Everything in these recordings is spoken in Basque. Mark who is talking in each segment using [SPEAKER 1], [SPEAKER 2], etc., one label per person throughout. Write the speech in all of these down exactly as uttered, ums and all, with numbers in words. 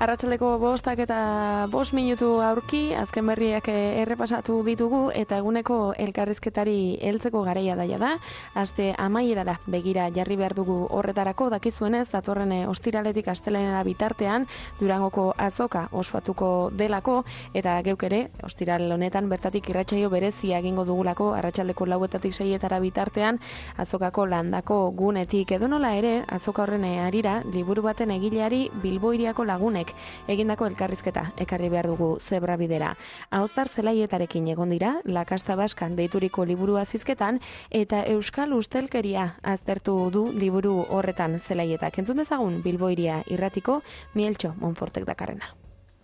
[SPEAKER 1] Arratsaldeko bostak eta bost minutu aurki, azken berriak errepasatu ditugu eta eguneko elkarrizketari heltzeko garaia daia da. Aste amaierara begira jarri behar dugu horretarako, dakizuenez, datorren ostiraletik astelehenera bitartean Durangoko azoka ospatuko delako, eta geuk ere, ostiral honetan bertatik irratsaio berezia egingo dugulako arratsaldeko lauetatik seietara bitartean azokako landako gunetik. Edonola ere, azoka horren harira, liburu baten egileari Bilboiriako lagunek egindako elkarrizketa ekarri behar dugu zebrabidera. Ahoztar zelaietarekin egon dira, Lakasta Baskan deituriko liburu azizketan, eta Euskal Ustelkeria aztertu du liburu horretan zelaietak. Entzun dezagun Bilboiria irratiko Mieltxo Monfortek dakarrena.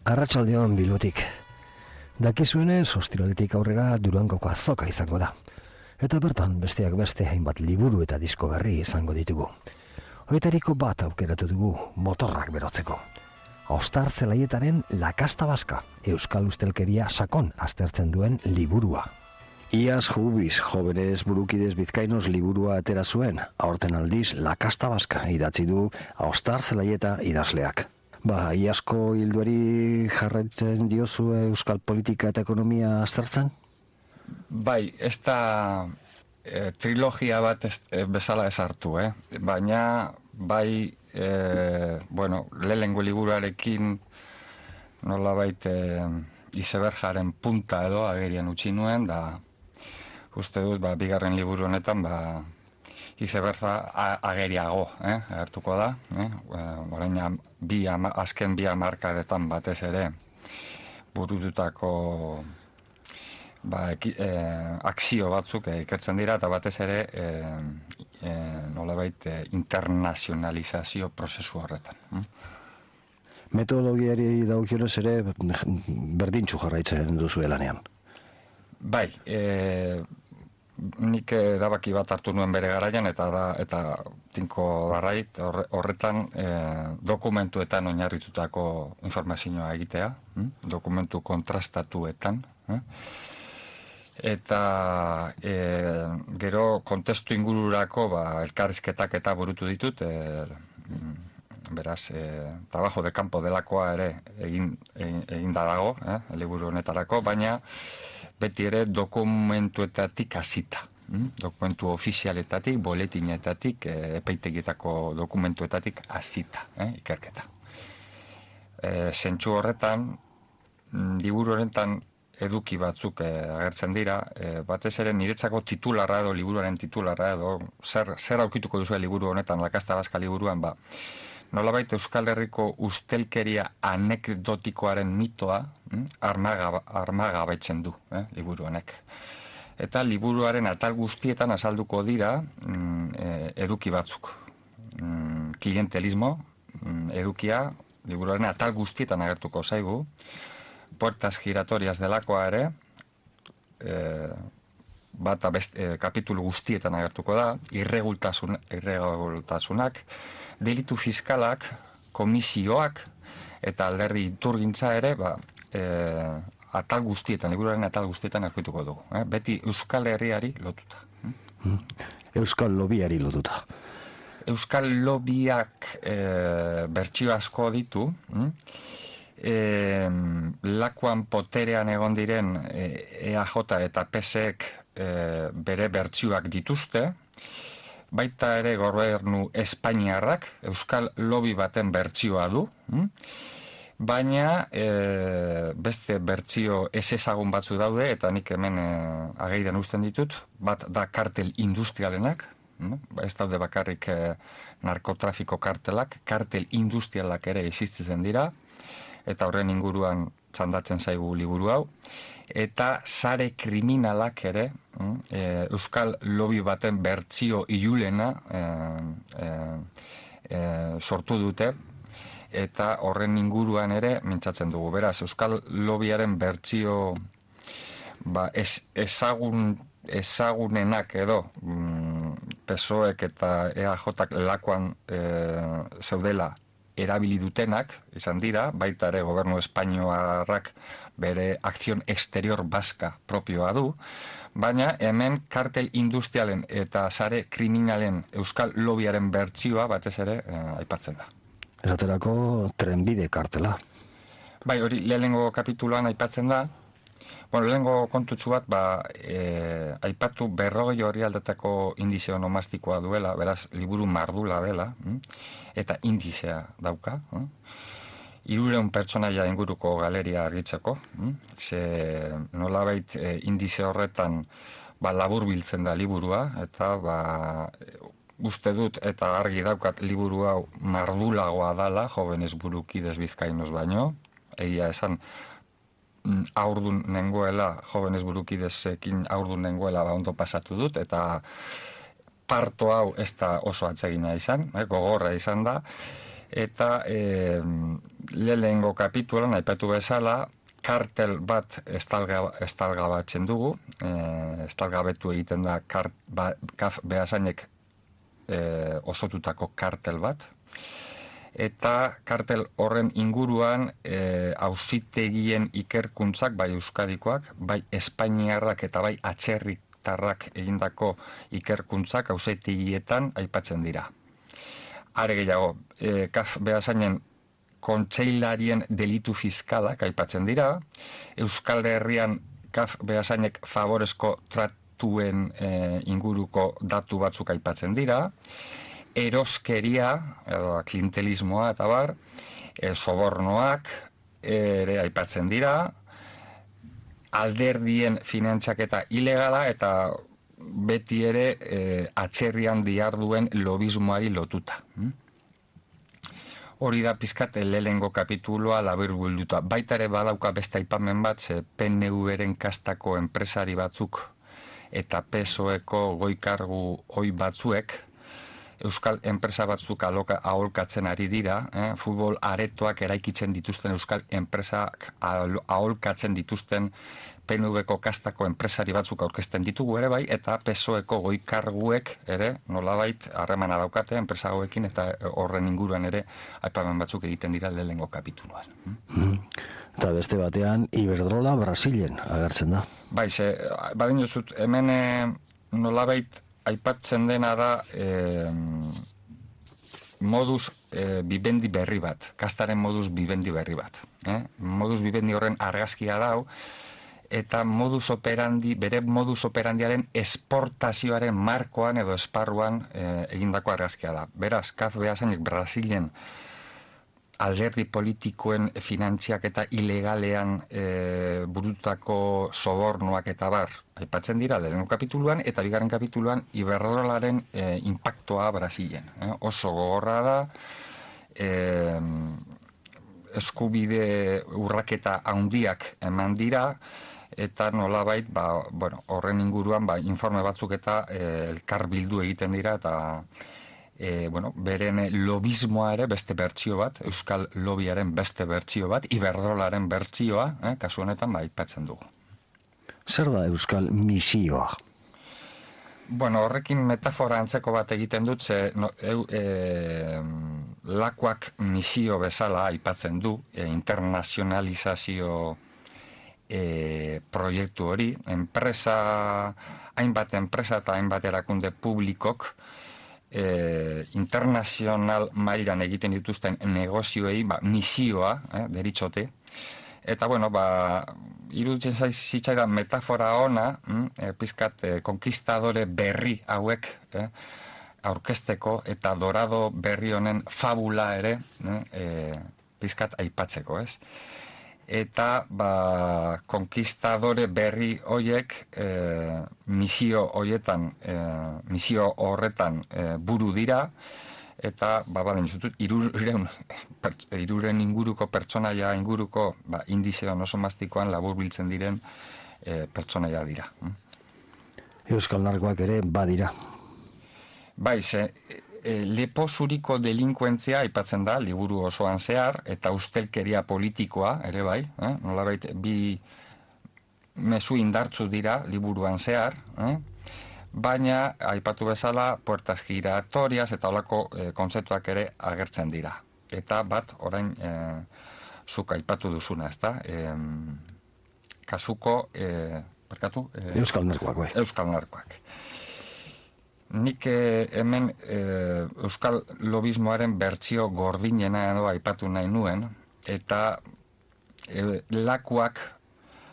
[SPEAKER 2] Arratsaldeon Bilbotik. Dakizuenez, ostiraletik aurrera Durangoko azoka izango da. Eta bertan besteak beste hainbat liburu eta disko berri izango ditugu. Hoetariko bat aukeratu dugu motorrak berotzeko. Ahoztar zelaietaren Lakasta Baska, Euskal Ustelkeria sakon aztertzen duen liburua.
[SPEAKER 3] Iaz Jubiz, Jóvenes Burukidez Bizkainos liburua atera zuen, aurten aldiz Lakasta Baska idatzi du Ahoztar zelaieta idazleak. Ba, iazko hilduari jarraitzen diozu euskal politika eta ekonomia aztertzen?
[SPEAKER 4] Bai, ez da e, trilogia bat ez, e, bezala esartu, eh? Baina, bai, e, bueno, lehengo liburuarekin nolabait e, izeberjaren punta edo agerian utzi nuen, da uste dut, ba, bigarren liburu honetan, ba, izeberja ageriago, eh? Agertuko da, eh? Orain, bi ama, azken bi hamarkadetan batez ere burututako ba, eki, e, akzio batzuk e, ikertzen dira, eta batez ere e, e, nolabait e, internazionalizazio prozesu horretan. Hm?
[SPEAKER 3] Metodologiari dagokionez ere berdintzu jarraitzen duzu lanean.
[SPEAKER 4] Bai, e, nik erabaki bat hartu nuen bere garaian, eta da, eta tinko darrait horretan e, dokumentuetan oinarritutako informazioa egitea, hm? Dokumentu kontrastatuetan, eh? Eta e, gero kontestu ingururako ba, elkarrizketak eta burutu ditut, e, beraz, e, trabajo de campo delakoa ere egin, egin, egin da dago, eh? Liburu honetarako, baina beti ere dokumentuetatik hasita. Hm? Dokumentu ofizialetatik, boletinetatik, e, epaitegietako dokumentuetatik hasita, eh? Ikerketa. E, zentsu horretan, liburu horretan eduki batzuk e, agertzen dira, e, batez ere niretzako titularra edo liburuaren titularra edo zer, zer aurkituko duzu liburu honetan, Lakasta Baska liburuan, ba, nolabait Euskal Herriko ustelkeria anekdotikoaren mitoa hm, armaga, armagabaitzen du, eh, liburu honek. Eta liburuaren atal guztietan azalduko dira mm, e, eduki batzuk. Mm, klientelismo, mm, edukia, liburuaren atal guztietan agertuko zaigu, puertas giratorias delakoa ere, e, bat best, e, kapitulu guztietan agertuko da, irregultasun, irregultasunak, delitu fiskalak, komisioak eta alderdi iturgintza ere, ba, e, atal guztietan, liburuaren atal guztietan aurkituko dugu. Eh? Beti Euskal Herriari lotuta.
[SPEAKER 3] Hmm? Euskal lobiari lotuta.
[SPEAKER 4] Euskal lobiak e, bertsio asko ditu, hm? e, lakuan poterean egon diren e, E A J eta P S ek e, bere bertsioak dituzte, baita ere gobernu Espainiarrak Euskal lobi baten bertsioa du, hm? Baina e, beste bertsio ez ezagun batzu daude, eta nik hemen e, ageiran uzten ditut, bat da kartel industrialenak, hm? Ez daude bakarrik e, narkotrafiko kartelak, kartel industrialak ere existitzen dira, eta horren inguruan txandatzen zaigu liburu hau, eta sare kriminalak ere, e, Euskal lobi baten bertsio ilulena e, e, e, sortu dute, eta horren inguruan ere mintzatzen dugu. Beraz, Euskal lobiaren bertsio ba, ez, ezagun, ezagunenak edo mm, P S O ek eta E A Jak lakoan e, zeudela erabili dutenak, izan dira, baita ere gobernu espainoarrak bere akzion exterior baska propioa du, baina hemen kartel industrialen eta sare kriminalen Euskal lobiaren bertsioa batez ere eh, aipatzen da.
[SPEAKER 3] Esaterako trenbide kartela.
[SPEAKER 4] Bai, hori lehenengo kapituloan aipatzen da. Bueno, lehenengo kontutxu bat, ba, e, aipatu berrogei hori aldetako indizio nomastikoa duela, beraz, liburu mardula dela, hm? Eta indizea dauka. Hm? Hirureun pertsonaia inguruko galeria argitzeko, hm? Ze nolabait e, indize horretan ba, labur biltzen da liburua, eta ba, uste dut eta argi daukat liburu hau mardulagoa dala, jovenes burukidez bizkainos baino, egia esan, aurdun nengoela, jovenes burukidezekin aurdun nengoela ba, ondo pasatu dut, eta parto hau ez da oso atsegina izan, eh, gogorra izan da, eta eh, lehenengo kapitulan aipatu bezala, kartel bat estalga, estalgabatzen dugu, eh, estalgabetu egiten da kart, ba, kaf behasainek eh, osotutako kartel bat, eta kartel horren inguruan e, auzitegien ikerkuntzak, bai euskadikoak, bai espainiarrak eta bai atzerritarrak egindako ikerkuntzak auzitegietan aipatzen dira. Are gehiago, e, kaf behasainen kontseilarien delitu fiskalak aipatzen dira, Euskal Herrian kaf behasainek favorezko tratuen e, inguruko datu batzuk aipatzen dira, eroskeria, edo klientelismoa eta bar, e, sobornoak ere aipatzen dira, alderdien finantzaketa ilegala eta beti ere e, atzerrian diharduen lobismoari lotuta. Hm? Hori da pizkat lehenengo kapituloa labur bilduta. Baita ere badauka beste aipamen bat, ze P N V-ren kastako enpresari batzuk eta P S O E-ko goikargu oi batzuek, euskal enpresa batzuk aloka, aholkatzen ari dira, eh? Futbol aretoak eraikitzen dituzten euskal enpresak aholkatzen dituzten P N V-ko kastako enpresari batzuk aurkezten ditugu ere bai, eta P S O E-ko goikarguek ere nolabait harremana daukate enpresa hauekin, eta horren inguruan ere aipamen batzuk egiten dira lehenengo kapituluan.
[SPEAKER 3] Mm. Eta beste batean, Iberdrola Brasilen agertzen da.
[SPEAKER 4] Bai, ze, badin jozut, hemen eh, nolabait aipatzen dena da eh, modus eh, bibendi berri bat, kastaren modus bibendi berri bat. Eh? Modus bibendi horren argazkia dau, eta modus operandi, bere modus operandiaren esportazioaren markoan edo esparruan eh, egindako argazkia da. Beraz, kaf behasainek Brasilen alderdi politikoen finantziak eta ilegalean e, burutako sobornoak eta bar aipatzen dira lehenengo kapituluan, eta bigarren kapituluan Iberdrolaren e, impactoa Brasilen. Eh? Oso gogorra da, e, eskubide urraketa handiak eman dira, eta nolabait, ba, bueno, horren inguruan ba, informe batzuk eta e, elkar bildu egiten dira, eta E, bueno, beren lobismoa ere beste bertsio bat, euskal lobiaren beste bertsio bat, Iberdrolaren bertsioa, eh, kasu honetan ba, aipatzen dugu.
[SPEAKER 3] Zer da euskal misioa?
[SPEAKER 4] Bueno, horrekin metafora antzeko bat egiten dut, ze no, eu, e, lakuak misio bezala aipatzen du, e, internazionalizazio e, proiektu hori, enpresa, hainbat enpresa eta hainbat erakunde publikok, E, internazional mailan egiten dituzten negozioei ba, misioa eh, deritzote, eta bueno, ba, iruditzen zitzaidan metafora ona, hm, e, pizkat e, konkistadore berri hauek eh, aurkezteko eta dorado berri honen fabula ere eh, e, pizkat aipatzeko, ez? Eta ba, konkistadore berri hoiek e, misio hoietan, e, misio horretan e, buru dira, eta ba, baden zutut, iruren, iruren inguruko pertsonaia inguruko ba, indizeon oso mastikoan labur biltzen diren e, pertsonaia dira.
[SPEAKER 3] Euskal narkoak ere badira.
[SPEAKER 4] Bai, ze, E, lepo zuriko delinkuentzia aipatzen da, liburu osoan zehar, eta ustelkeria politikoa, ere bai, eh? Nolabait, bi mezu indartzu dira liburuan zehar, eh? Baina, aipatu bezala, puertas giratorias eta holako e, kontzeptuak ere agertzen dira. Eta bat, orain, e, zuk aipatu duzuna, ezta? E, kasuko, e, perkatu? E,
[SPEAKER 3] Euskal narkoak, bai.
[SPEAKER 4] Euskal narkoak. Nik eh, hemen eh, euskal lobismoaren bertsio gordinena edo aipatu nahi nuen, eta e, lakuak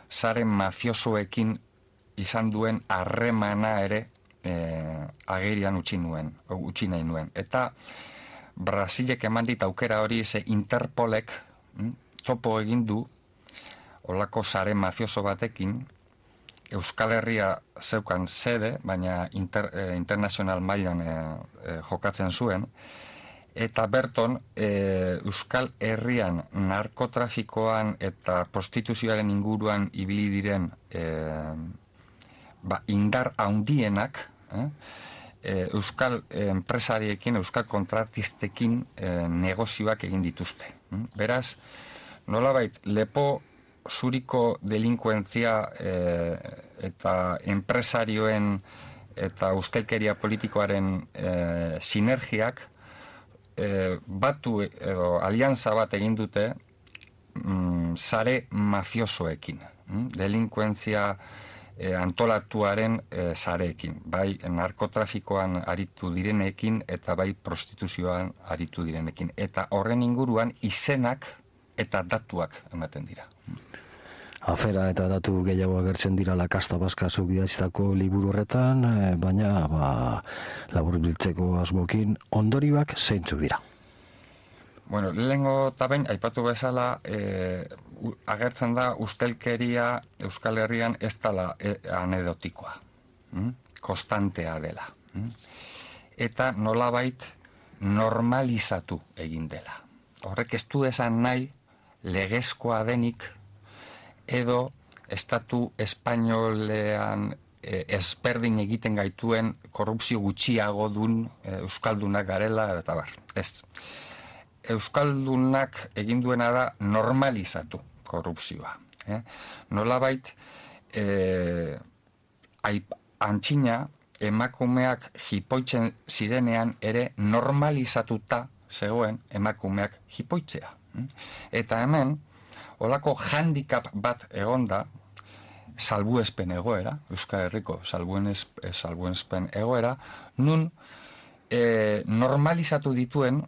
[SPEAKER 4] sare mafiosoekin izan duen harremana ere e, agerian utzi nuen, utzi nahi nuen. Eta Brasilek eman dit aukera hori, ze Interpolek hm, topo egin du olako sare mafioso batekin, Euskal Herria zeukan sede, baina inter, eh, internazional mailan eh, eh, jokatzen zuen, eta berton eh, Euskal Herrian narkotrafikoan eta prostituzioaren inguruan ibili diren eh, ba, indar haundienak, eh, eh, Euskal enpresariekin, Euskal kontratistekin eh, negozioak egin dituzte. Beraz, nolabait, lepo zuriko delinkuentzia e, eta enpresarioen eta ustelkeria politikoaren e, sinergiak e, batu edo alianza bat egin dute mm, sare mafiosoekin, mm? delinkuentzia e, antolatuaren e, sareekin, bai narkotrafikoan aritu direnekin eta bai prostituzioan aritu direnekin. Eta horren inguruan izenak eta datuak ematen dira.
[SPEAKER 3] Afera eta datu gehiago agertzen dira La Kasta Baska zuk idatzitako liburu horretan, baina ba, laburbiltzeko asmokin ondorioak zeintzuk dira?
[SPEAKER 4] Bueno, lehengo tabein, aipatu bezala, e, agertzen da ustelkeria Euskal Herrian ez dela e, anedotikoa, mm? konstantea dela. Mm? Eta nolabait normalizatu egin dela. Horrek ez du esan nahi legezkoa denik edo estatu espainolean e, ezberdin egiten gaituen korrupzio gutxiago dun e, euskaldunak garela eta bar. Ez. Euskaldunak egin duena da normalizatu korrupzioa. Eh? Nolabait e, aip, antxina emakumeak jipoitzen zirenean ere normalizatuta zegoen emakumeak jipoitzea. Eta hemen, olako handicap bat egonda, salbuespen egoera, Euskal Herriko salbuespen egoera, nun e, normalizatu dituen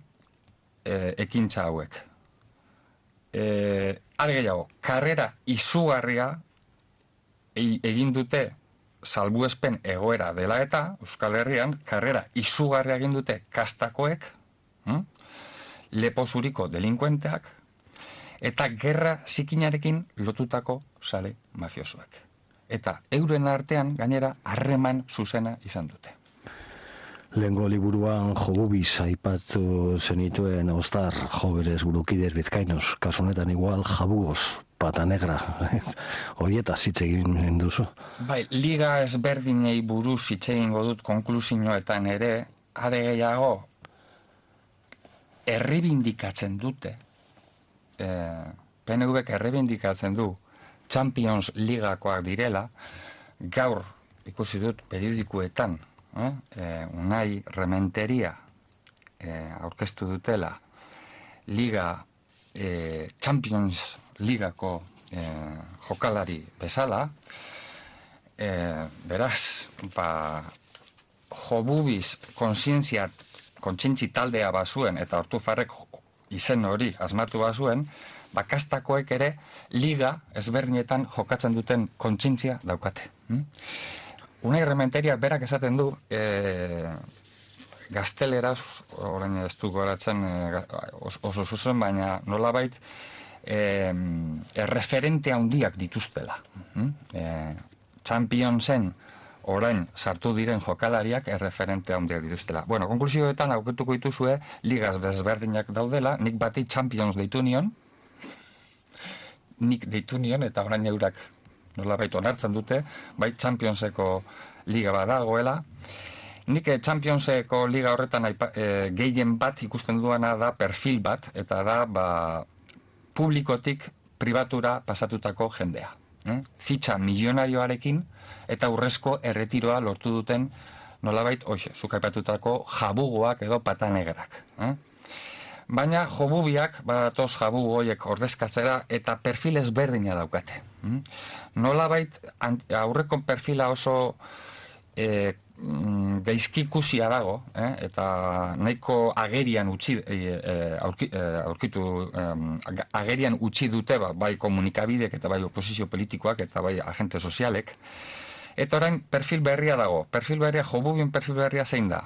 [SPEAKER 4] e, ekintza hauek. E, are gehiago, karrera izugarria e, egin dute salbuespen egoera dela eta, Euskal Herrian, karrera izugarria egin dute kastakoek, hm? lepozuriko delinkuenteak, eta gerra zikinarekin lotutako sare mafiosoak. Eta euren artean gainera harreman zuzena izan dute.
[SPEAKER 3] Lehengo liburuan Jobubiz aipatu zenituen Ostar, Jóvenes Burukidez Bizkainos, kasunetan igual Jabugoz, Pata Negra, horietaz hitz egin duzu.
[SPEAKER 4] Bai, liga ezberdinei buruz hitz egingo dut konklusioetan ere, are gehiago, errebindikatzen dute, eh, P N Vek errebindikatzen du Champions Ligakoak direla, gaur ikusi dut periodikoetan, eh, eh, Unai Rementeria eh, aurkeztu dutela Liga eh, Champions Ligako eh, jokalari bezala, eh, beraz, ba, Jobubiz kontzientziat kontzientzi taldea bazuen, eta Ortufarrek izen hori asmatu bazuen, bakastakoek ere liga ezberdinetan jokatzen duten kontzientzia daukate. Hmm? Unai Rementeria berak esaten du, e, gazteleraz, orain ez du goratzen e, oso zuzen, baina nolabait e, erreferente handiak dituztela. Hmm? E, Championsen orain sartu diren jokalariak erreferente handiak dituztela. Bueno, konklusioetan aurkituko dituzue ligaz desberdinak daudela, nik bati Champions deitu nion, nik deitu nion, eta orain eurak nolabait onartzen dute, bai Championseko liga badagoela. Nik Championseko liga horretan aipa, e, gehien bat ikusten duana da perfil bat, eta da ba, publikotik pribatura pasatutako jendea. Eh? Fitxa milionarioarekin eta urrezko erretiroa lortu duten nolabait, hoxe, zuk aipatutako jabugoak edo patanegrak. Eh? Baina jobubiak, badatoz jabugo horiek ordezkatzera eta perfil ezberdina daukate. Mm? Nolabait, aurreko perfila oso e, gaizki ikusia dago, eh, eta nahiko agerian utzi, e, e, aurki, e, aurkitu, e, agerian utzi dute ba, bai komunikabidek eta bai oposizio politikoak eta bai agente sozialek. Eta orain perfil berria dago. Perfil berria, Jobubien perfil berria zein da?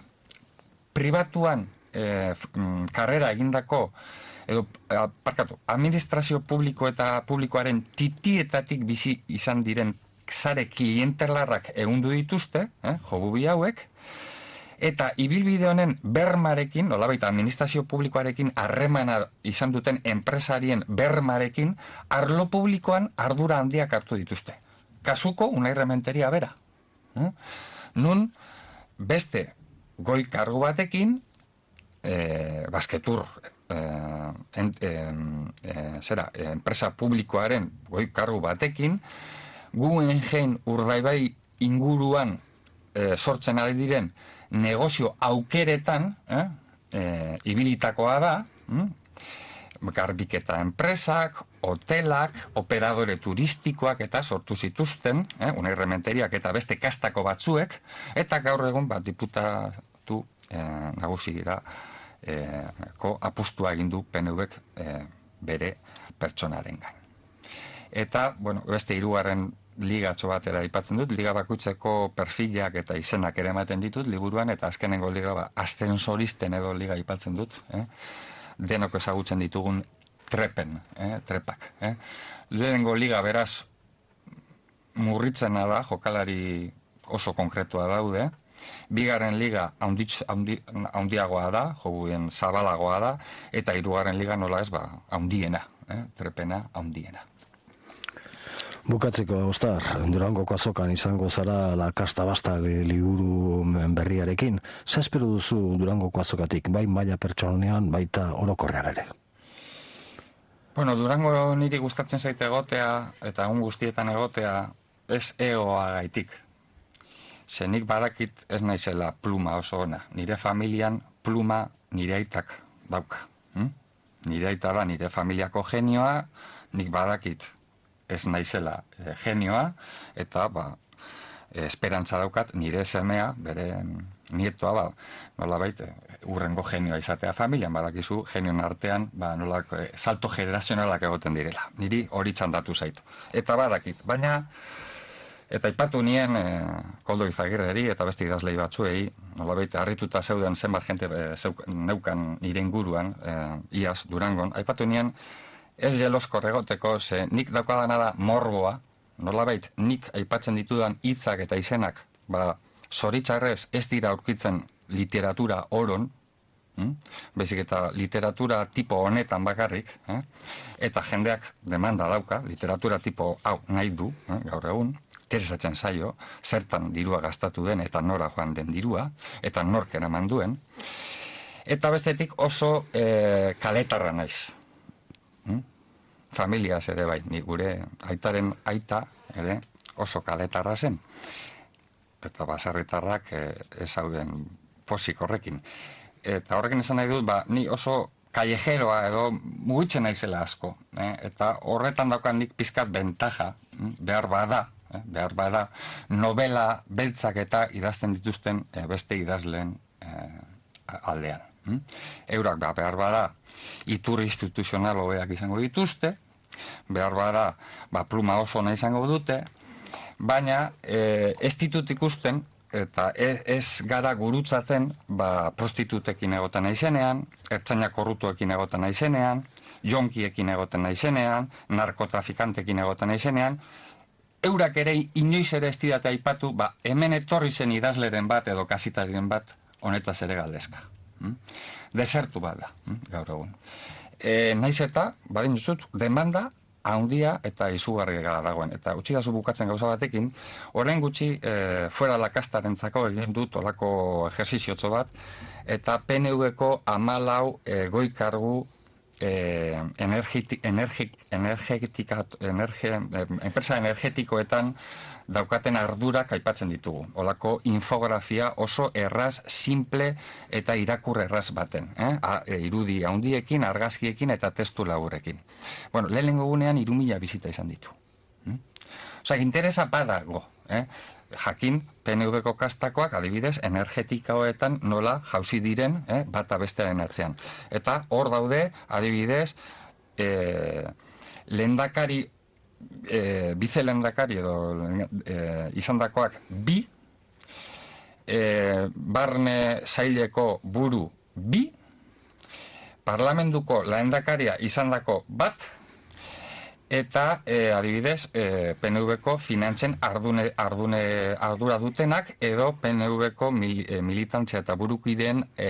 [SPEAKER 4] Pribatuan e, karrera egindako, edo, parkatu, administrazio publiko eta publikoaren titietatik bizi izan diren sare klientelarrak egundu dituzte, eh, Jobubi hauek, eta ibilbide honen bermarekin, nolabait administrazio publikoarekin harremana izan duten enpresarien bermarekin, arlo publikoan ardura handiak hartu dituzte. Kasuko Unai Rementeria bera. Eh? Nun, beste goi kargu batekin, eh, basketur, eh, en, eh, eh, zera, eh, enpresa publikoaren goi kargu batekin, Guggenheim Urdaibai inguruan e, sortzen ari diren negozio aukeretan eh, e, ibilitakoa da, hm? Garbiketa enpresak, hotelak, operadore turistikoak eta sortu zituzten, eh, Unai Rementeriak eta beste kastako batzuek, eta gaur egun bat diputatu eh, nagusigira eh, ko apustua egin du P N Vek eh, bere pertsonarengan. Eta, bueno, beste hirugarren ligatxo batera aipatzen dut, liga bakutzeko perfilak eta izenak ere ematen ditut liburuan, eta azkenengo liga ba, ascensoristen edo liga aipatzen dut, eh? Denok ezagutzen ditugun trepen, eh? trepak. Eh? Lehenengo liga beraz murritzena da, jokalari oso konkretua daude, bigarren liga haunditz, haundi, haundiagoa da, Jobubien zabalagoa da, eta hirugarren liga nola ez ba, haundiena, eh? trepena haundiena.
[SPEAKER 3] Bukatzeko, Ostar, Durangoko azokan izango zara La Kasta Basta liburu berriarekin. Zer espero duzu Durangoko azokatik, bai maila pertsonean, baita orokorrean ere?
[SPEAKER 4] Bueno, Durango niri gustatzen zaite egotea, eta egun guztietan egotea, ez egoa gaitik. Zenik badakit ez naizela pluma oso ona. Nire familian pluma nire aitak dauka. Hm? Nire aita da nire familiako genioa, nik badakit ez naizela e, genioa, eta ba, e, esperantza daukat nire semea, bere nietoa, ba, nolabait, e, urrengo genioa izatea familian, badakizu genioen artean, ba, nolak, e, salto generazionalak egoten direla. Niri hori txandatu zaitu. Eta badakit, baina, eta ipatu nien e, Koldo Izagirreri eta beste idazlei batzuei, nolabait, harrituta zeuden zenbat jente e, zeuk, neukan nire inguruan, e, iaz, Durangon, aipatu nien, ez jeloskor egoteko, ze nik daukadana da morboa, nolabait, nik aipatzen ditudan hitzak eta izenak, ba, zoritxarrez ez dira aurkitzen literatura oron, hm? Baizik eta literatura tipo honetan bakarrik, eh? Eta jendeak demanda dauka, literatura tipo hau nahi du, eh? Gaur egun, interesatzen zaio, zertan dirua gastatu den eta nora joan den dirua, eta nork eraman duen, eta bestetik oso eh, kaletarra naiz. Hmm? Familiaz ere bai, ni gure aitaren aita ere oso kaletarra zen. Eta baserritarrak e, ez hauden posik horrekin. Eta horrekin esan nahi dut, ba, ni oso kallejeroa edo mugitzen naizela asko. Eh? Eta horretan daukan nik pizkat bentaja, behar bada, eh? behar bada, novela beltzak eta idazten dituzten e, beste idazleen e, aldean. Hmm? Eurak ba, behar bada iturri instituzional hobeak izango dituzte, behar bada ba, pluma oso nahi izango dute, baina e, ez ditut ikusten eta ez, ez gara gurutzatzen ba, prostitutekin egoten naizenean, ertzaina korrutuekin egoten naizenean, jonkiekin egoten naizenean, narkotrafikantekin egoten naizenean, eurak ere inoiz ere ez didate aipatu, ba, hemen etorri zen idazleren bat edo kasitariren bat honetaz ere galdezka. Hmm? Desertu bat da, hmm? gaur egun. E, naiz eta, badin duzut, demanda handia eta izugarria dagoen. Eta utzi dazu bukatzen gauza batekin, orain gutxi e, fuera la kastarentzako egin dut olako ejerziziotxo bat, eta P N Vko hamalau e, goi kargu e, energeti, energi, energetika, energe, e, enpresa energetikoetan daukaten ardurak aipatzen ditugu. Olako infografia oso erraz, simple eta irakur erraz baten. Eh? A, e, irudi handiekin, argazkiekin eta testu laburrekin. Bueno, lehenengo gunean hiru mila bizita izan ditu. Hm? Osa, interesa badago. Eh? jakin P N V-ko kastakoak adibidez energetikaoetan nola jauzi diren eh, bata bestearen atzean. Eta hor daude adibidez eh, lehendakari, eh, bize lehendakari edo eh, izandakoak bi, eh, barne saileko buru bi, parlamentuko lehendakaria izandako bat, eta e, adibidez e, P N V-ko finantzen ardune, ardune, ardura dutenak edo P N V-ko mil, e, militantzia eta burukideen e,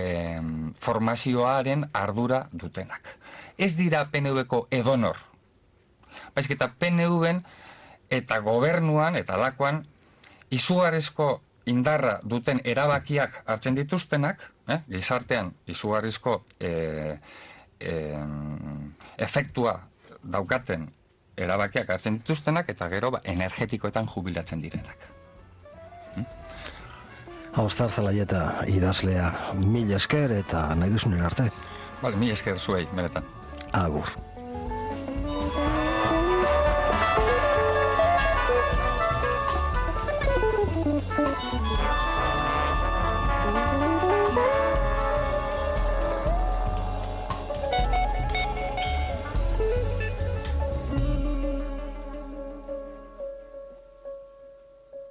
[SPEAKER 4] formazioaren ardura dutenak. Ez dira P N V-ko edonor. Baizik eta P N V-en eta gobernuan eta lakoan izugarrizko indarra duten erabakiak hartzen dituztenak, eh, gizartean izugarrizko e, e, efektua daukaten erabakiak hartzen dituztenak eta gero ba, energetikoetan jubilatzen direnak.
[SPEAKER 3] Hm? Austar Zelaieta idazlea, mil esker eta nahi duzunen arte.
[SPEAKER 4] Bale, mil esker zuei, benetan.
[SPEAKER 3] Agur.